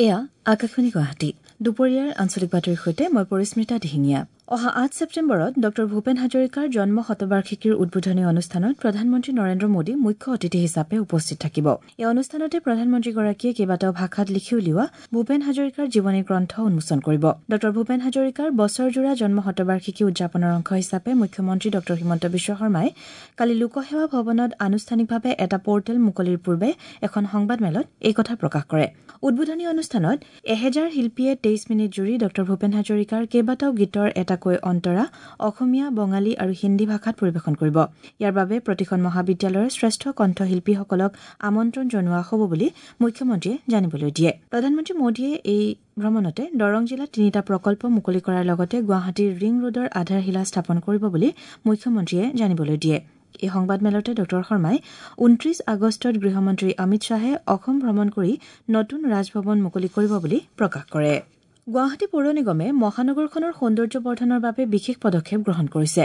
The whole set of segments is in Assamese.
এয়া আকাশবাণী গুৱাহাটী। দুপৰীয়াৰ আঞ্চলিক বাতৰিৰ সৈতে মই পৰিস্মিতা দিহিঙীয়া। অহা ৮ ছেপ্টেম্বৰত ডঃ ভূপেন হাজৰিকাৰ জন্ম শতবাৰ্ষিকীৰ উদ্বোধনী অনুষ্ঠানত প্ৰধানমন্ত্ৰী নৰেন্দ্ৰ মোদী মুখ্য অতিথি হিচাপে উপস্থিত থাকিব। এই অনুষ্ঠানতে প্ৰধানমন্ত্ৰীগৰাকীয়ে কেইবাটাও ভাষাত লিখি উলিওৱা ভূপেন হাজৰিকাৰ জীৱনী গ্ৰন্থ উন্মোচন কৰিব। ডঃ ভূপেন হাজৰিকাৰ বছৰজোৰা জন্ম শতবাৰ্ষিকী উদযাপনৰ অংশ হিচাপে মুখ্যমন্ত্ৰী ডঃ হিমন্ত বিশ্ব শৰ্মাই কালি লোকসেৱা ভৱনত আনুষ্ঠানিকভাৱে এটা পৰ্টেল মুকলিৰ পূৰ্বে এখন সংবাদমেলত এই কথা প্ৰকাশ কৰে। উদ্বোধনী অনুষ্ঠানত ১০০০ শিল্পীয়ে ২৩ মিনিট জুৰি ডঃ ভূপেন হাজৰিকাৰ কেইবাটাও গীতৰ এটাকৈ অন্তৰা অসমীয়া, বঙালী আৰু হিন্দী ভাষাত পৰিৱেশন কৰিব। ইয়াৰ বাবে প্ৰতিখন মহাবিদ্যালয়ৰ শ্ৰেষ্ঠ কণ্ঠশিল্পীসকলক আমন্ত্ৰণ জনোৱা হ'ব বুলি মুখ্যমন্ত্ৰীয়ে জানিবলৈ দিয়ে। প্ৰধানমন্ত্ৰী মোদীয়ে এই ভ্ৰমণতে দৰং জিলাত ৩টা প্ৰকল্প মুকলি কৰাৰ লগতে গুৱাহাটীৰ ৰিং ৰোডৰ আধাৰশিলা স্থাপন কৰিব বুলি মুখ্যমন্ত্ৰীয়ে জানিবলৈ দিয়ে। এই সংবাদমেলতে ডঃ শৰ্মাই ২৯ আগষ্টত গৃহমন্ত্ৰী অমিত শ্বাহে অসম ভ্ৰমণ কৰি নতুন ৰাজভৱন মুকলি কৰিব বুলি প্ৰকাশ কৰে। গুৱাহাটী পৌৰ নিগমে মহানগৰখনৰ সৌন্দৰ্য বৰ্ধনৰ বাবে বিশেষ পদক্ষেপ গ্ৰহণ কৰিছে।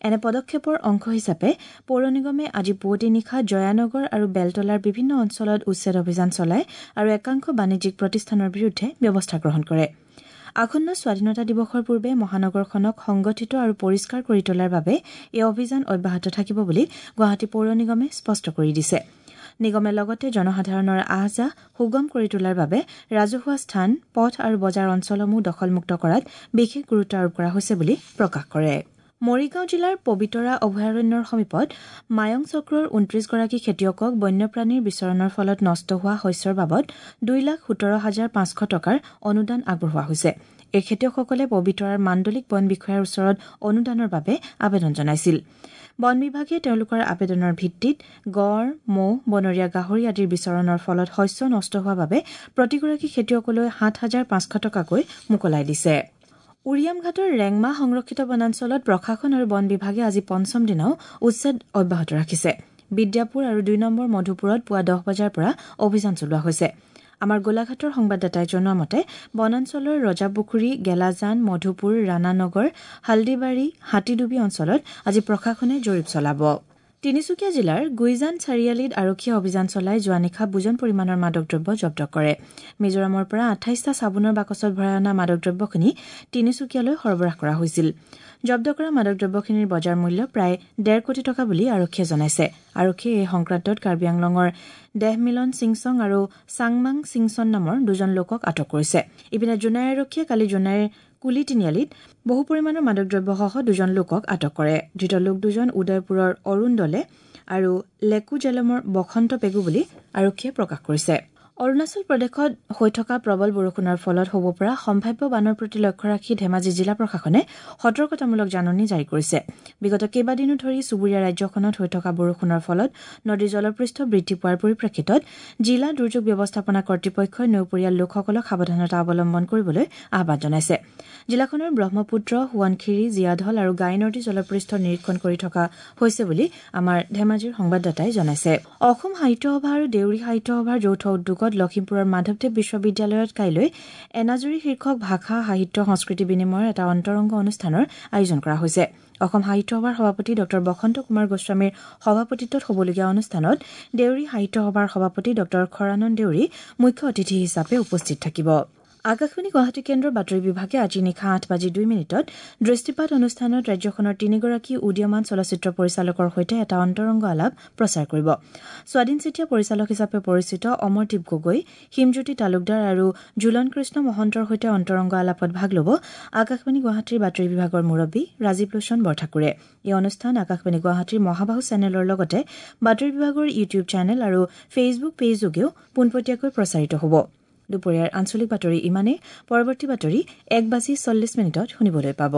এনে পদক্ষেপৰ অংশ হিচাপে পৌৰ নিগমে আজি পুৱতি নিশা জয়ানগৰ আৰু বেলতলাৰ বিভিন্ন অঞ্চলত উচ্ছেদ অভিযান চলায় আৰু একাংশ বাণিজ্যিক প্ৰতিষ্ঠানৰ বিৰুদ্ধে ব্যৱস্থা গ্ৰহণ কৰে। আসন্ন স্বাধীনতা দিৱসৰ পূৰ্বে মহানগৰখনক সংগঠিত আৰু পৰিষ্কাৰ কৰি তোলাৰ বাবে এই অভিযান অব্যাহত থাকিব বুলি গুৱাহাটী পৌৰ নিগমে স্পষ্ট কৰি দিছে। নিগমে লগতে জনসাধাৰণৰ আহ যাহ সুগম কৰি তোলাৰ বাবে ৰাজহুৱা স্থান, পথ আৰু বজাৰ অঞ্চলসমূহ দখলমুক্ত কৰাত বিশেষ গুৰুত্ব আৰোপ কৰা হৈছে বুলি প্ৰকাশ কৰে। মৰিগাঁও জিলাৰ পবিতৰা অভয়াৰণ্যৰ সমীপত মায়ং চক্ৰৰ ২৯গৰাকী খেতিয়কক বন্যপ্ৰাণীৰ বিচৰণৰ ফলত নষ্ট হোৱা শস্যৰ বাবদ ২,১৭,৫০০ টকাৰ অনুদান আগবঢ়োৱা হৈছে। এই খেতিয়কসকলে পবিতৰাৰ মাণ্ডলিক বন বিষয়াৰ ওচৰত অনুদানৰ বাবে আবেদন জনাইছিল। বন বিভাগে তেওঁলোকৰ আবেদনৰ ভিত্তিত গড়, ম'হ, বনৰীয়া গাহৰি আদিৰ বিচৰণৰ ফলত শস্য নষ্ট হোৱাৰ বাবে প্ৰতিগৰাকী খেতিয়কলৈ ৭,৫০০ টকাকৈ মোকলাই দিছে। উৰিয়ামঘাটৰ ৰেংমা সংৰক্ষিত বনাঞ্চলত প্ৰশাসন আৰু বন বিভাগে আজি পঞ্চম দিনাও উচ্ছেদ অব্যাহত ৰাখিছে। বিদ্যাপুৰ আৰু ২ নম্বৰ মধুপুৰত পুৱা ১০ বজাৰ পৰা অভিযান চলোৱা হৈছে। আমাৰ গোলাঘাটৰ সংবাদদাতাই জনোৱা মতে বনাঞ্চলৰ ৰজাপুখুৰী, গেলাজান, মধুপুৰ, ৰাণানগৰ, হালদিবাৰী, হাতীডুবি অঞ্চলত আজি প্ৰশাসনে জৰীপ চলাব। তিনিচুকীয়া জিলাৰ গুইজান চাৰিআলিত আৰক্ষীয়ে অভিযান চলাই যোৱা নিশা বুজন পৰিমাণৰ মাদক দ্ৰব্য জব্দ কৰে। মিজোৰামৰ পৰা ২৮টা চাবোনৰ বাকচত ভৰাই অনা মাদক দ্ৰব্যখিনি তিনিচুকীয়ালৈ সৰবৰাহ কৰা হৈছিল। জব্দ কৰা মাদক দ্ৰব্যখিনিৰ বজাৰ মূল্য প্ৰায় ১.৫ কোটি টকা বুলি আৰক্ষীয়ে জনাইছে। আৰক্ষীয়ে এই সংক্ৰান্তত কাৰ্বি আংলঙৰ দেহমিলন সিংচং আৰু চাংমাং সিংচন নামৰ দুজন লোকক আটক কৰিছে। ইপিনে জোনাই আৰক্ষীয়ে কালি জোনাইৰ কুলি তিনিআলিত বহু পৰিমাণৰ মাদক দ্ৰব্যসহ দুজন লোকক আটক কৰে। ধৃত লোক দুজন উদয়পুৰৰ অৰুণ দলে আৰু লেকু জেলমৰ বসন্ত পেগু বুলি আৰক্ষীয়ে প্ৰকাশ কৰিছে। অৰুণাচল প্ৰদেশত হৈ থকা প্ৰবল বৰষুণৰ ফলত হ'ব পৰা সম্ভাৱ্য বানৰ প্ৰতি লক্ষ্য ৰাখি ধেমাজি জিলা প্ৰশাসনে সতৰ্কতামূলক জাননী জাৰি কৰিছে। বিগত কেইবাদিনো ধৰি চুবুৰীয়া ৰাজ্যখনত হৈ থকা বৰষুণৰ ফলত নদীৰ জলপৃষ্ঠ বৃদ্ধি পোৱাৰ পৰিপ্ৰেক্ষিতত জিলা দুৰ্যোগ ব্যৱস্থাপনা কৰ্তৃপক্ষই নৈপৰীয়া লোকসকলক সাৱধানতা অৱলম্বন কৰিবলৈ আহ্বান জনাইছে। জিলাখনৰ ব্ৰহ্মপুত্ৰ, সোৱণশিৰি, জীয়াঢল আৰু গাই নদীৰ জলপৃষ্ঠ নিৰীক্ষণ কৰি থকা হৈছে বুলি আমাৰ ধেমাজিৰ সংবাদদাতাই জনাইছে। অসম সাহিত্য সভা আৰু দেউৰী সাহিত্য সভাৰ যৌথ উদ্যোগত লখিমপুৰৰ মাধৱদেৱ বিশ্ববিদ্যালয়ত কাইলৈ এনাজৰী শীৰ্ষক ভাষা, সাহিত্য, সংস্কৃতি বিনিময়ৰ এটা অন্তৰংগ অনুষ্ঠানৰ আয়োজন কৰা হৈছে। অসম সাহিত্য সভাৰ সভাপতি ডঃ বসন্ত কুমাৰ গোস্বামীৰ সভাপতিত্বত হ'বলগীয়া অনুষ্ঠানত দেউৰী সাহিত্য সভাৰ সভাপতি ডঃ খৰানন্দ দেউৰী মুখ্য অতিথি হিচাপে উপস্থিত থাকিব। আকাশবাণী গুৱাহাটী কেন্দ্ৰৰ বাতৰি বিভাগে আজি নিশা ৮:০২ দৃষ্টিপাত অনুষ্ঠানত ৰাজ্যখনৰ তিনিগৰাকী উদীয়মান চলচ্চিত্ৰ পৰিচালকৰ সৈতে এটা অন্তৰংগ আলাপ প্ৰচাৰ কৰিব। স্বাধীন চেতিয়া পৰিচালক হিচাপে পৰিচিত অমৰদীপ গগৈ, হিমজ্যোতি তালুকদাৰ আৰু ঝুলন কৃষ্ণ মহন্তৰ সৈতে অন্তৰংগ আলাপত ভাগ ল'ব আকাশবাণী গুৱাহাটীৰ বাতৰি বিভাগৰ মুৰব্বী ৰাজীৱ লোচন বৰঠাকুৰে। এই অনুষ্ঠান আকাশবাণী গুৱাহাটীৰ মহাবাহু চেনেলৰ লগতে বাতৰি বিভাগৰ ইউটিউব চেনেল আৰু ফেচবুক পেজযোগেও পোনপটীয়াকৈ প্ৰচাৰিত হ'ব। দুপৰীয়াৰ আঞ্চলিক বাতৰি ইমানেই। পৰৱৰ্তী বাতৰি ১:৪০ শুনিবলৈ পাব।